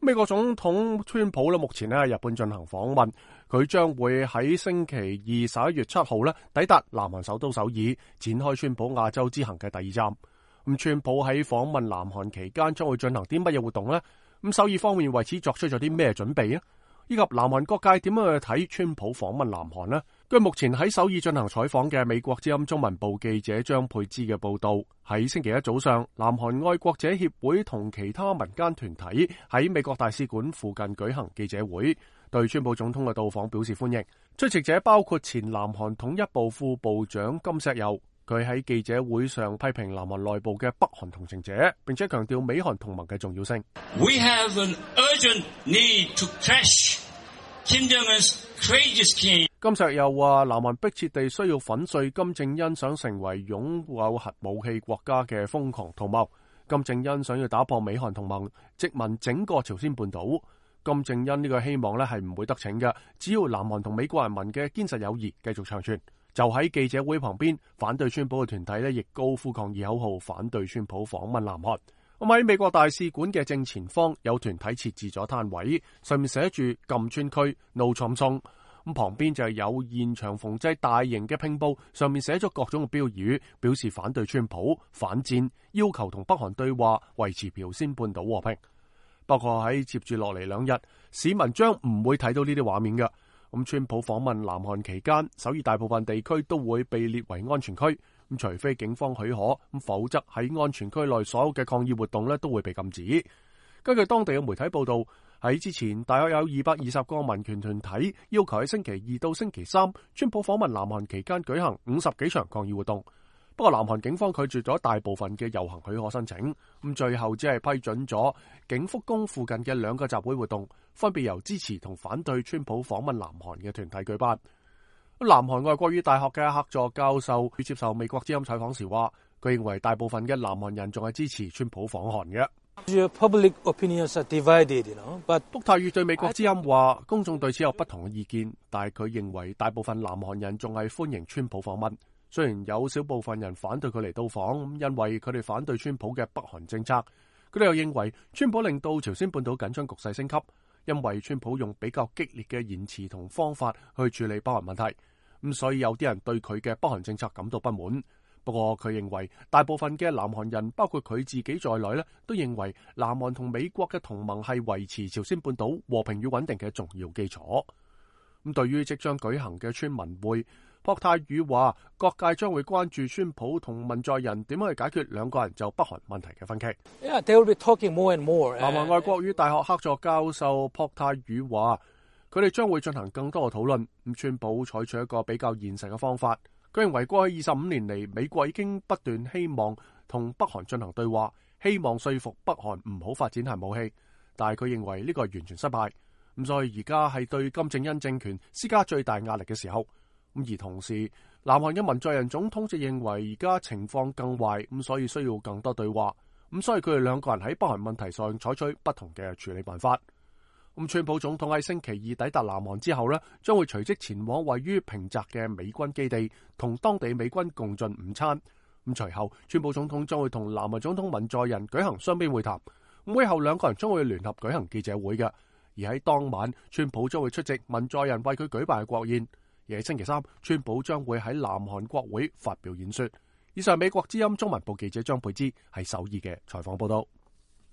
美國總統川普目前喺日本進行訪問，佢將會喺星期二11月7號抵達南韓首都首爾，展開川普亞洲之行嘅第2站。咁川普喺訪問南韓期間將會進行啲乜嘢活動呢？咁首爾方面為此作出咗啲咩準備呢？以及南韓各界點樣去睇川普訪問南韓呢？據目前喺首爾進行採訪嘅美國之音中文部記者張佩芝嘅報道，喺星期一早上，南韓愛國者協會同其他民間團體喺美國大使館附近舉行記者會，對川普總統嘅到訪表示歡迎。出席者包括前南韓統一部副部長金錫佑，佢喺記者會上批評南韓內部嘅北韓同情者，並且強調美韓同盟嘅重要性。We have an urgent need to crush Kim Jong-un's courageous king。金錫佑話，南韓迫切地需要粉碎金正恩想成為擁有核武器國家嘅瘋狂圖謀。金正恩想要打破美韓同盟，殖民整個朝鮮半島。金正恩呢個希望係唔會得逞嘅，只要南韓同美國人民嘅堅實友誼繼續長存。就喺記者會旁邊，反對川普嘅團體亦高呼抗議口號，反對川普訪問南韓。咁喺美國大使館嘅正前方有團體設置咗攤位，上面寫住禁川區 No Trump Zone。咁旁邊就係有現場縫製大型嘅拼布，上面寫咗各種嘅標語，表示反對川普、反戰，要求同北韓對話，維持朝鮮半島和平。不過喺接住落嚟2日，市民將唔會睇到呢啲畫面嘅。咁川普訪問南韓期間，首爾大部分地區都會被列為安全區。咁除非警方許可，咁否則喺安全區內所有嘅抗議活動都會被禁止。根據當地嘅媒體報道，喺之前大約有220個民權團體要求喺星期2到星期3，川普訪問南韓期間舉行50幾場抗議活動。不過南韓警方拒絕咗大部分嘅遊行許可申請，咁最後只係批准咗景福宮附近嘅2個集會活動，分別由支持同反對川普訪問南韓嘅團體舉辦。南韓外國語大學嘅客座教授接受美國之音採訪時話，佢認為大部分嘅南韓人仲係支持川普訪韓嘅。Public opinions are divided, but 朴泰宇對美國之音話，公眾對此有不同嘅意見，但係佢認為大部分南韓人仲係歡迎川普訪問。雖然有少部分人反對佢嚟到訪，因為佢哋反對川普嘅北韓政策。佢哋又認為川普令到朝鮮半島緊張局勢升級，因為川普用比較激烈嘅言辭同方法去處理北韓問題。咁所以有啲人對佢嘅北韓政策感到不滿。不過佢認為大部分嘅南韓人，包括佢自己在內都認為南韓同美國嘅同盟係維持朝鮮半島和平與穩定嘅重要基礎。咁對於即將舉行嘅川文會，朴泰宇話各界將會關注川普同文在寅點樣去解決兩個人就北韓問題嘅分歧。Yeah, they will be talking more and more. 南韓外國語大學客座教授朴泰宇話，佢哋將會進行更多嘅討論。咁川普採取一個比較現實嘅方法。佢認為過去25年嚟，美國已經不斷希望同北韓進行對話，希望說服北韓唔好發展核武器，但係佢認為呢個係完全失敗。咁所以而家係對金正恩政權施加最大壓力嘅時候。咁而同時，南韓嘅文在寅總統就認為而家情況更壞，咁所以需要更多對話。咁所以佢哋兩個人喺北韓問題上採取不同嘅處理辦法。咁川普總統喺星期二抵達南韓之後將會隨即前往位於平澤嘅美軍基地，同當地美軍共進午餐。咁隨後，川普總統將會同南韓總統文在寅舉行雙邊會談。會後兩個人將會聯合舉行記者會嘅。而喺當晚，川普將會出席文在寅為佢舉辦嘅國宴。而喺星期3，川普將會喺南韓國會發表演說。以上美國之音中文部記者張佩芝喺首爾嘅採訪報道。